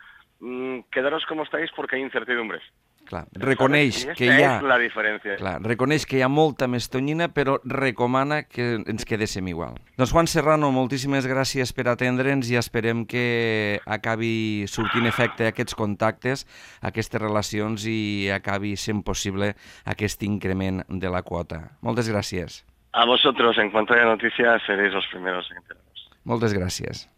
quedaros como estáis porque hay incertidumbres. Clar, reconeix que hi ha... és la diferència. Clar, reconeix que hi ha molta més tonyina, però recomana que ens quedéssim igual. Doncs Juan Serrano, moltíssimes gràcies per atendre'ns i esperem que acabi sortint efecte aquests contactes, aquestes relacions i acabi sent possible aquest increment de la quota. Moltes gràcies. A vosotros, en cuanto haya noticias, seréis los primeros en enteraros. Moltes gràcies.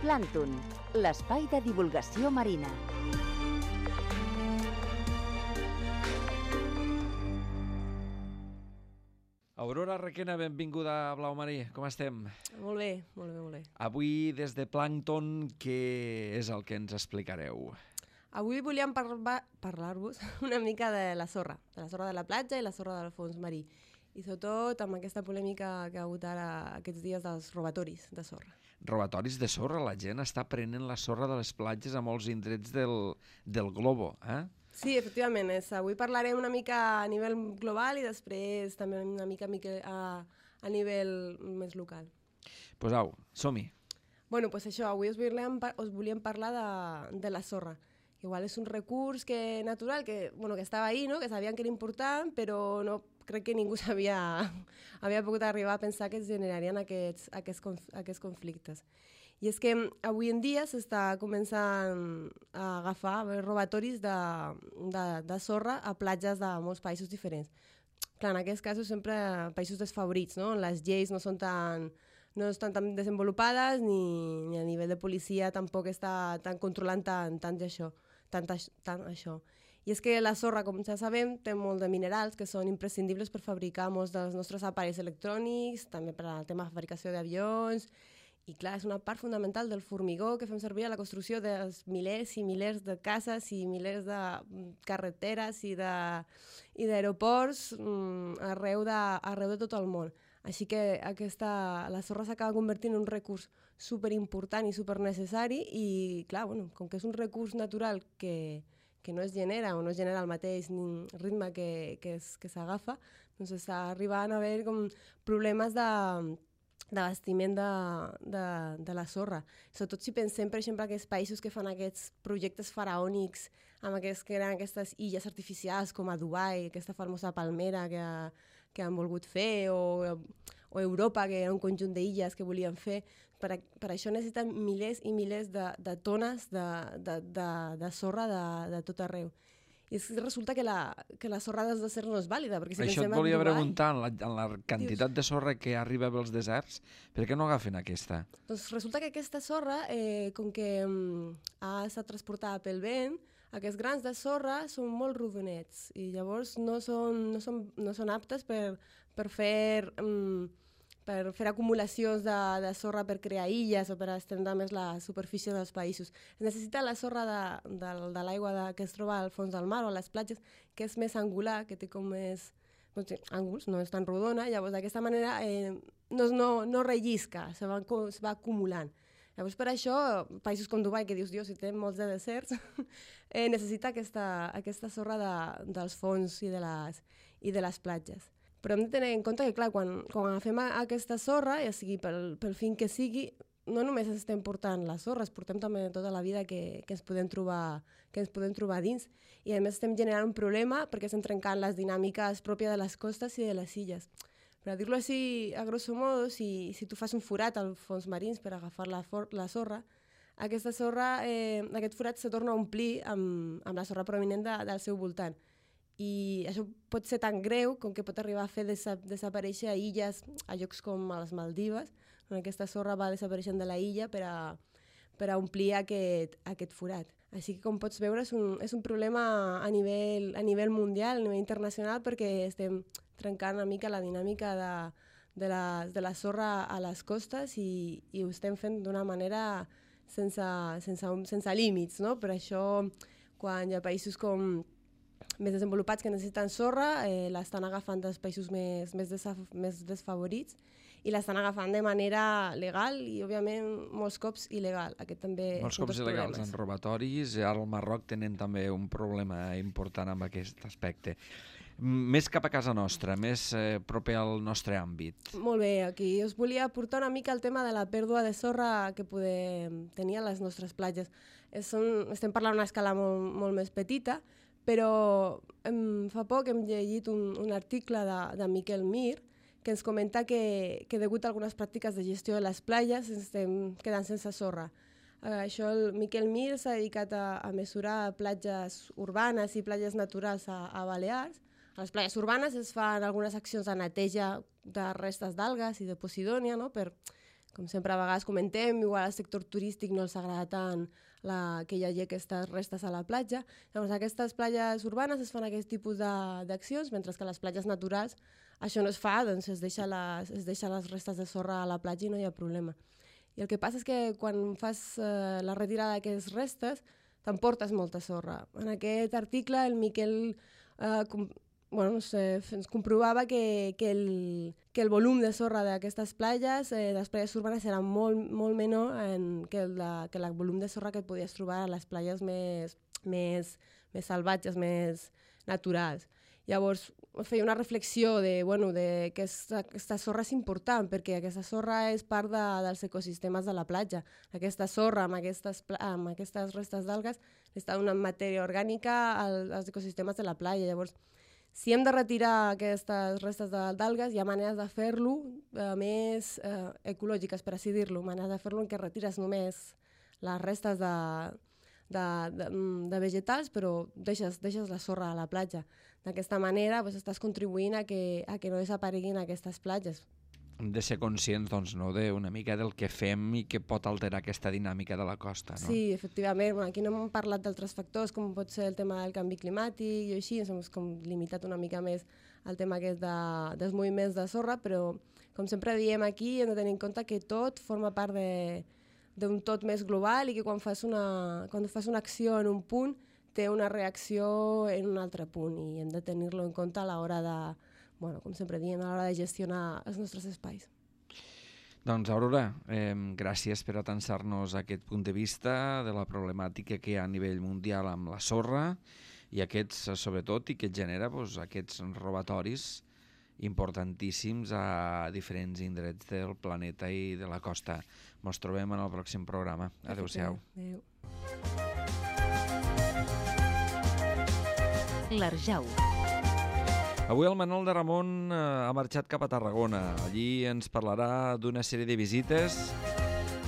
Plàncton, l'espai de divulgació marina. Aurora Requena, benvinguda a Blau Marí. Com estem? Molt bé, molt bé, molt bé. Avui, des de Plàncton, què és el que ens explicareu? Avui volíem parlar-vos una mica de la sorra de la platja i la sorra del fons marí. I sobretot amb aquesta polèmica que ha hagut ara aquests dies dels robatoris de sorra. Robatoris de sorra, la gent està prenent la sorra de les platges a molts indrets del globo, eh? Sí, efectivament. Avui parlarem una mica a nivell global i després també una mica a nivell més local. Pues au, som-hi. Bueno, pues això, avui us volíem parlar de la sorra. Igual és un recurs natural que estava ahí, no? Que sabien que era important, però no crec que ningú havia pogut arribar a pensar que es generarien aquests conflictes. I és que avui en dia s'està començant a agafar robatoris de sorra a platges de molts països diferents. Clar, en aquests casos sempre països desfavorits, no? On les lleis no estan tan desenvolupades ni a nivell de policia tampoc està controlant tant això. I és que la sorra, com ja sabem, té molt de minerals que són imprescindibles per fabricar molts dels nostres aparells electrònics, també per al tema de fabricació d'avions, i clar, és una part fonamental del formigó que fem servir a la construcció dels milers i milers de cases i milers de carreteres i d'aeroports arreu de tot el món. Així que la sorra s'acaba convertint en un recurs superimportant i supernecessari i, clar, com que és un recurs natural que no es genera o no es genera al mateix ritme que s'agafa, doncs està arribant a haver com problemes d'abastiment de la sorra. Sobretot si pensem, per exemple, aquests països que fan aquests projectes faraònics amb que eren aquestes illes artificials com a Dubai, aquesta famosa palmera que han volgut fer, o Europa, que era un conjunt d'illes que volien fer. Per això necessiten milers i milers de tones de sorra de tot arreu. I resulta que la sorra dels deserts no és vàlida. Perquè si això et volia preguntar, en la quantitat de sorra que arriba als deserts, per què no agafen aquesta? Doncs resulta que aquesta sorra, com que ha estat transportada pel vent, aquests grans de sorra són molt rodonets i llavors no són aptes per fer acumulacions de sorra per crear illes o per estendre més la superfície dels països. Es necessita la sorra de l'aigua que es troba al fons del mar o a les platges, que és més angular, que té com més ànguls, no és tan rodona, llavors d'aquesta manera no rellisca, se va acumulant. Llavors per això, països com Dubai, que dius, si té molts de deserts, necessita aquesta sorra dels fons i de les platges. Però hem de tenir en compte que, clar, quan agafem aquesta sorra, ja sigui pel fin que sigui, no només estem portant la sorra, es portem també tota la vida que ens podem trobar dins. I a més estem generant un problema perquè estem trencant les dinàmiques pròpies de les costes i de les illes. Per dir-ho així, a grosso modo, si tu fas un forat als fons marins per agafar la sorra, aquest forat se torna a omplir amb la sorra provinent del seu voltant. I això pot ser tan greu com que pot arribar a fer desaparèixer illes a llocs com a les Maldives, on aquesta sorra va desapareixent de la illa per a omplir aquest forat. Així que, com pots veure, és un problema a nivell mundial, a nivell internacional, perquè estem trencant una mica la dinàmica de la sorra a les costes i ho estem fent d'una manera sense límits, no? Per això, quan hi ha països com més desenvolupats que necessiten sorra, l'estan agafant dels països més desfavorits i l'estan agafant de manera legal i, òbviament, molts cops il·legal. Aquest també molts cops il·legals en robatoris. Ara al Marroc tenen també un problema important amb aquest aspecte. Més cap a casa nostra, més proper al nostre àmbit. Molt bé, aquí us volia portar una mica el tema de la pèrdua de sorra que podem tenir a les nostres platges. Estem parlant d'una escala molt més petita, però fa poc hem llegit un article de Miquel Mir que ens comenta que degut a algunes pràctiques de gestió de les platges estem quedant sense sorra. El Miquel Mir s'ha dedicat a mesurar platges urbanes i platges naturals a Balears. A les platges urbanes es fan algunes accions de neteja de restes d'algues i de posidònia, no? Com sempre a vegades comentem, igual al sector turístic no els agrada tant que hi hagi aquestes restes a la platja. Llavors, a aquestes platges urbanes es fan aquest tipus d'accions, mentre que a les platges naturals això no es fa, doncs es deixa les restes de sorra a la platja i no hi ha problema. I el que passa és que quan fas la retirada d'aquestes restes t'emportes molta sorra. En aquest article el Miquel ens comprovava que el volum de sorra d'aquestes platges, de les platges urbanes, era molt menor que el volum de sorra que et podies trobar a les platges més salvatges, més naturals. Llavors, feia una reflexió que aquesta sorra és important, perquè aquesta sorra és part dels ecosistemes de la platja. Aquesta sorra amb aquestes restes d'algues està donant matèria orgànica als ecosistemes de la platja. Llavors, si hem de retirar aquestes restes d'algues, hi ha maneres de fer-lo més ecològiques, per així dir-lo, maneres de fer-lo en què retires només les restes de vegetals, però deixes la sorra a la platja. D'aquesta manera estàs contribuint a que no desapareguin aquestes platges. Hem de ser conscients d'una mica del que fem i que pot alterar aquesta dinàmica de la costa. No? Sí, efectivament. Aquí no hem parlat d'altres factors, com pot ser el tema del canvi climàtic i així, ens hem limitat una mica més al tema aquest dels moviments de sorra, però com sempre diem aquí, hem de tenir en compte que tot forma part d'un tot més global i que quan fas una acció en un punt té una reacció en un altre punt i hem de tenir-lo en compte a l'hora com sempre diem, a l'hora de gestionar els nostres espais. Doncs, Aurora, gràcies per atansar-nos aquest punt de vista de la problemàtica que hi ha a nivell mundial amb la sorra i aquests, sobretot, i que genera aquests robatoris importantíssims a diferents indrets del planeta i de la costa. Ens trobem en el pròxim programa. Adéu-siau. Adéu. L'Arjau. Avui el Manol de Ramon ha marxat cap a Tarragona. Allí ens parlarà d'una sèrie de visites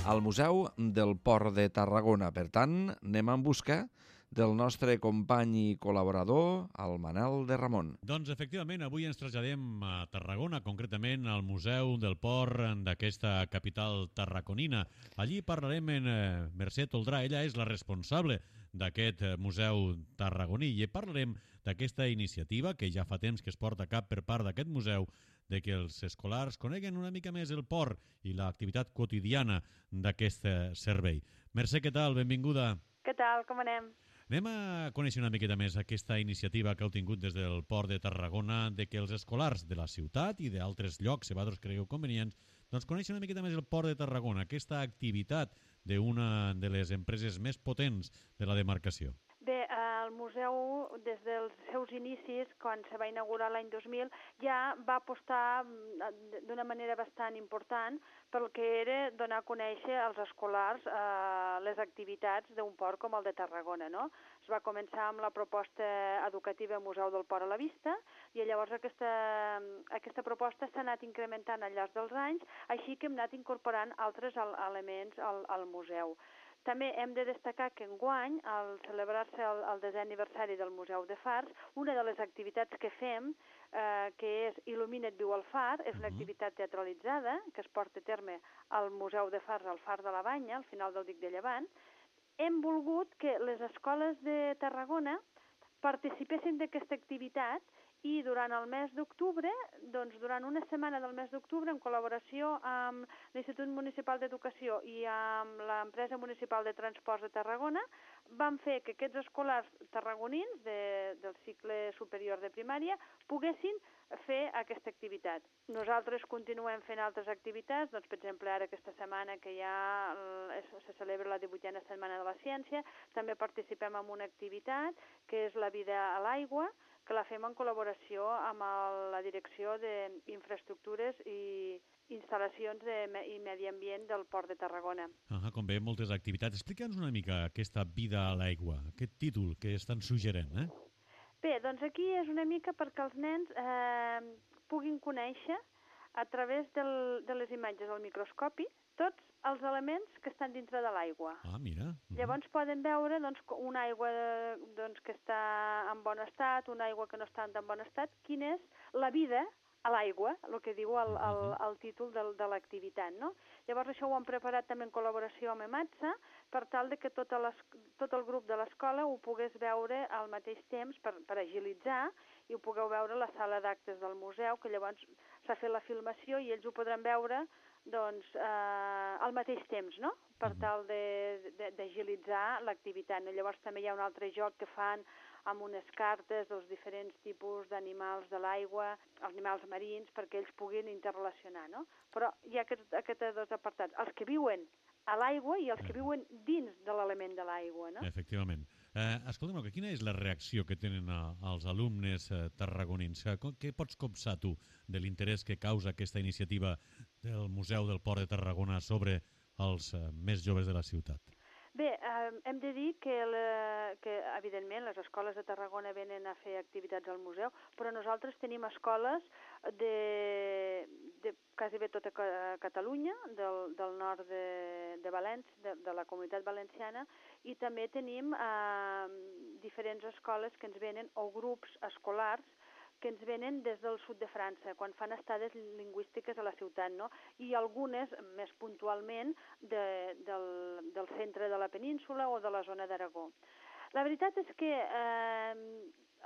al Museu del Port de Tarragona. Per tant, anem en busca del nostre company i col·laborador, el Manol de Ramon. Doncs, efectivament, avui ens traslladem a Tarragona, concretament al Museu del Port d'aquesta capital tarraconina. Allí parlarem amb Mercè Toldrà. Ella és la responsable d'aquest museu tarragoní i parlarem d'aquesta iniciativa que ja fa temps que es porta a cap per part d'aquest museu, de que els escolars coneguen una mica més el port i l'activitat quotidiana d'aquest servei. Mercè, què tal? Benvinguda. Què tal? Com anem? Anem a conèixer una miqueta més aquesta iniciativa que heu tingut des del Port de Tarragona, de que els escolars de la ciutat i d'altres llocs, si vosaltres cregueu convenients, doncs coneixen una miqueta més el Port de Tarragona, aquesta activitat d'una de les empreses més potents de la demarcació. Bé, el museu, des dels seus inicis, quan se va inaugurar l'any 2000, ja va apostar d'una manera bastant important pel que era donar a conèixer als escolars les activitats d'un port com el de Tarragona, no? Es va començar amb la proposta educativa Museu del Port a la Vista i llavors aquesta proposta s'ha anat incrementant al llarg dels anys, així que hem anat incorporant altres elements al museu. També hem de destacar que enguany, al celebrar-se el 10è aniversari del Museu de Fars, una de les activitats que fem, que és Il·lumina't viu al far, és una activitat teatralitzada que es porta a terme al Museu de Fars, al Far de la Banya, al final del dic de Llevant. Hem volgut que les escoles de Tarragona participessin d'aquesta activitat i durant el mes d'octubre, doncs durant una setmana del mes d'octubre, en col·laboració amb l'Institut Municipal d'Educació i amb l'Empresa Municipal de Transports de Tarragona, vam fer que aquests escolars tarragonins del cicle superior de primària poguessin fer aquesta activitat. Nosaltres continuem fent altres activitats, doncs per exemple ara aquesta setmana que ja se celebra la 18a Setmana de la Ciència, també participem en una activitat que és la vida a l'aigua, que la fem en col·laboració amb la Direcció d'Infraestructures i Instal·lacions i Medi Ambient del Port de Tarragona. Com veiem, moltes activitats. Explica'ns una mica aquesta vida a l'aigua, aquest títol que estan suggerent, Bé, doncs aquí és una mica perquè els nens puguin conèixer a través de les imatges al microscopi tots els elements que estan dintre de l'aigua. Ah, mira. Llavors poden veure una aigua que està en bon estat, una aigua que no està en tan bon estat, quina és la vida a l'aigua, el que diu el títol de l'activitat, no? Llavors això ho hem preparat també en col·laboració amb EMATSA per tal de que tot el grup de l'escola ho pogués veure al mateix temps per agilitzar i ho pugueu veure a la sala d'actes del museu, que llavors s'ha fet la filmació i ells ho podran veure al mateix temps, no? Per tal d'agilitzar l'activitat. Llavors també hi ha un altre joc que fan amb unes cartes dels diferents tipus d'animals de l'aigua, els animals marins, perquè ells puguin interrelacionar, no? Però hi ha aquests dos apartats, els que viuen a l'aigua i els que viuen dins de l'element de l'aigua, no? Efectivament. Escolta'm, quina és la reacció que tenen els alumnes tarragonins? Què pots copsar tu de l'interès que causa aquesta iniciativa del Museu del Port de Tarragona sobre els més joves de la ciutat? Bé, hem de dir que evidentment les escoles de Tarragona venen a fer activitats al museu, però nosaltres tenim escoles de quasi bé tota Catalunya, del nord de València, de la Comunitat Valenciana, i també tenim diferents escoles que ens venen, o grups escolars, que ens venen des del sud de França, quan fan estades lingüístiques a la ciutat, no? I algunes, més puntualment, del centre de la península o de la zona d'Aragó. La veritat és que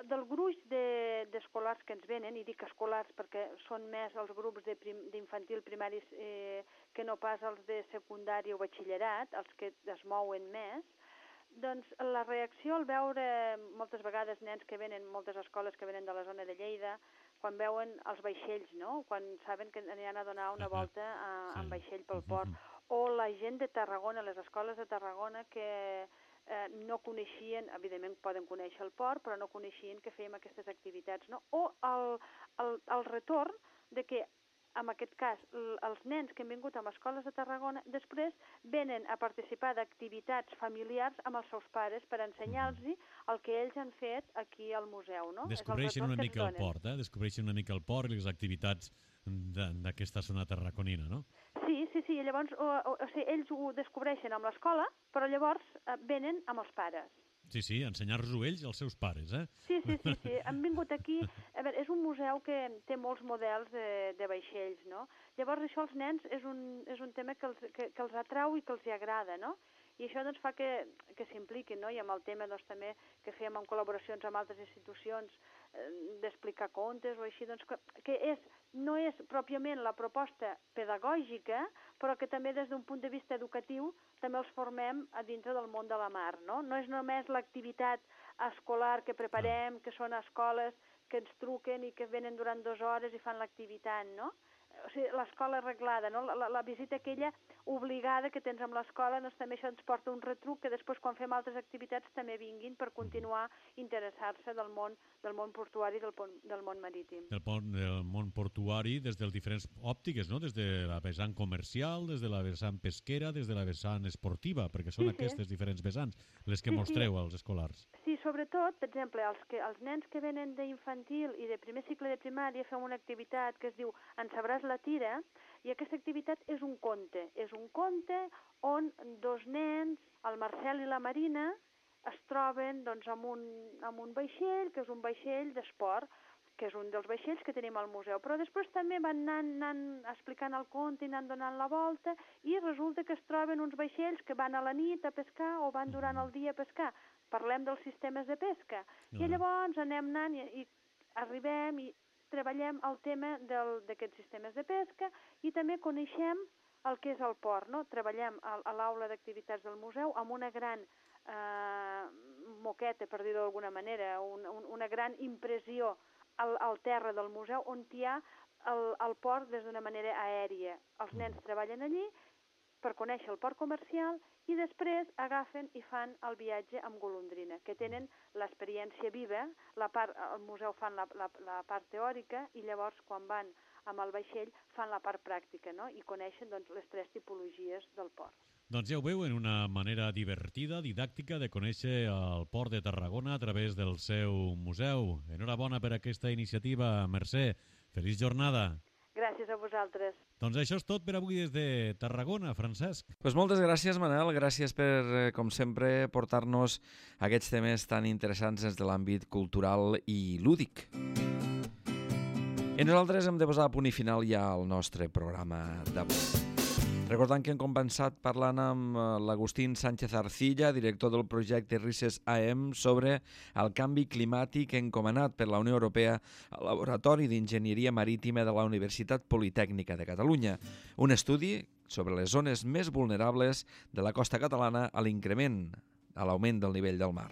del gruix d'escolars que ens venen, i dic escolars perquè són més els grups d'infantil primaris que no pas els de secundari o batxillerat, els que es mouen més, doncs la reacció al veure moltes vegades nens que venen, moltes escoles que venen de la zona de Lleida, quan veuen els vaixells, no? Quan saben que aniran a donar una volta en vaixell pel port. O la gent de Tarragona, les escoles de Tarragona, que no coneixien, evidentment poden conèixer el port, però no coneixien que fèiem aquestes activitats, no? O el retorn de que, en aquest cas, els nens que han vingut a les escoles de Tarragona després venen a participar d'activitats familiars amb els seus pares per ensenyar-los el que ells han fet aquí al museu, no? Descobreixen una mica el port, descobreixen una mica el port i les activitats d'aquesta zona tarraconina, no? Sí, llavors ells ho descobreixen amb l'escola, però llavors venen amb els pares. Sí, ensenyar-los-ho ells als seus pares, eh? Sí. Han vingut aquí... A veure, és un museu que té molts models de vaixells, no? Llavors això als nens és un tema que els atrau i que els agrada, no? I això doncs fa que s'impliquin, no? I amb el tema doncs, també que fèiem en col·laboracions amb altres institucions d'explicar contes o així, doncs que no és pròpiament la proposta pedagògica, però que també des d'un punt de vista educatiu també els formem a dintre del món de la mar, no? No és només l'activitat escolar que preparem, que són escoles que ens truquen i que venen durant 2 hores i fan l'activitat, no? O sigui, l'escola arreglada, no? La visita aquella obligada que tens amb l'escola, doncs també això ens porta un retruc que després quan fem altres activitats també vinguin per continuar interessar-se del món portuari i del món marítim. Del món portuari des de diferents òptiques, no? Des de la vessant comercial, des de la vessant pesquera, des de la vessant esportiva, perquè són aquestes diferents vessants les que mostreu als escolars. Sí, sobretot, per exemple, els nens que venen d'infantil i de primer cicle de primària fem una activitat que es diu En sabràs la tira, i aquesta activitat és un conte. És un conte on 2 nens, el Marcel i la Marina, es troben doncs, amb un vaixell, que és un vaixell d'esport, que és un dels vaixells que tenim al museu. Però després també van anant explicant el conte i anant donant la volta, i resulta que es troben uns vaixells que van a la nit a pescar o van durant el dia a pescar. Parlem dels sistemes de pesca. I llavors anem anant i arribem i treballem el tema d'aquests sistemes de pesca i també coneixem el que és el port, no? Treballem a l'aula d'activitats del museu amb una gran moqueta, per dir-ho d'alguna manera, una gran impressió al terra del museu on hi ha el port des d'una manera aèria. Els nens treballen allí per conèixer el port comercial i després agafen i fan el viatge amb golondrina, que tenen l'experiència viva, al museu fan la part teòrica i llavors quan van amb el vaixell fan la part pràctica, no? I coneixen doncs, les 3 tipologies del port. Doncs ja ho veuen, una manera divertida, didàctica de conèixer el port de Tarragona a través del seu museu. Enhorabona per aquesta iniciativa, Mercè. Feliç jornada. Gràcies a vosaltres. Doncs això és tot per avui des de Tarragona, Francesc. Pues moltes gràcies, Manel. Gràcies per, com sempre, portar-nos aquests temes tan interessants des de l'àmbit cultural i lúdic. I nosaltres hem de posar a punt i final ja al nostre programa d'avui. Recordant que hem començat parlant amb l'Agustín Sánchez Arcilla, director del projecte RISES AM, sobre el canvi climàtic encomanat per la Unió Europea al Laboratori d'Enginyeria Marítima de la Universitat Politècnica de Catalunya. Un estudi sobre les zones més vulnerables de la costa catalana a l'augment del nivell del mar.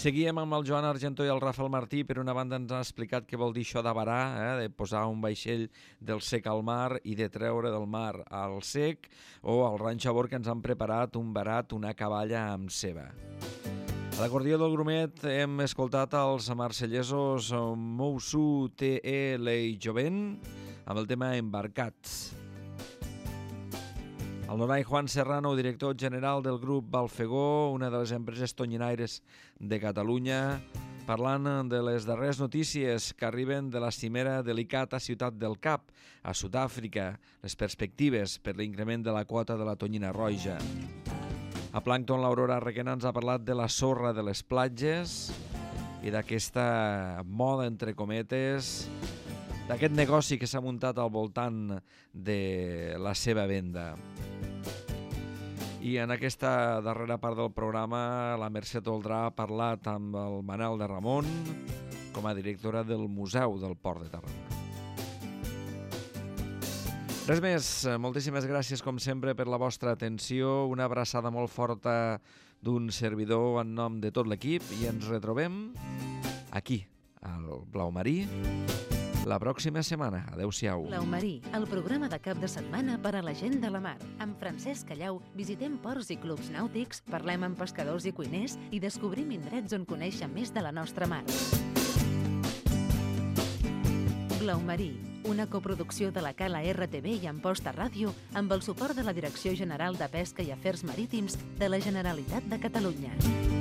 Seguíem amb el Joan Argentó i el Rafael Martí. Per una banda ens ha explicat què vol dir això de varar, de posar un vaixell del sec al mar i de treure del mar al sec, o al ranxo a bord que ens han preparat un barat, una caballa amb ceba. A l'acordió del Grumet hem escoltat els marcellesos Moussou T.E. Lei Jovent amb el tema Embarcats. El Donai Juan Serrano, director general del grup Balfegó, una de les empreses tonyinaires de Catalunya, parlant de les darreres notícies que arriben de la cimera delicata Ciutat del Cap, a Sud-àfrica, les perspectives per l'increment de la quota de la tonyina roja. A Plàncton, l'Aurora Requena ens ha parlat de la sorra de les platges i d'aquesta moda, entre cometes, d'aquest negoci que s'ha muntat al voltant de la seva venda. I en aquesta darrera part del programa la Mercè Toldrà ha parlat amb el Manel de Ramon com a directora del Museu del Port de Tarragona. Res més, moltíssimes gràcies com sempre per la vostra atenció, una abraçada molt forta d'un servidor en nom de tot l'equip i ens retrobem aquí, al Blau Marí la pròxima setmana. Adéu-siau. Blau Marí, el programa de cap de setmana per a la gent de la mar. Amb Francesc Callau visitem ports i clubs nàutics, parlem amb pescadors i cuiners i descobrim indrets on conèixer més de la nostra mar. Blau Marí, una coproducció de la Cala RTV i Amposta Ràdio amb el suport de la Direcció General de Pesca i Afers Marítims de la Generalitat de Catalunya.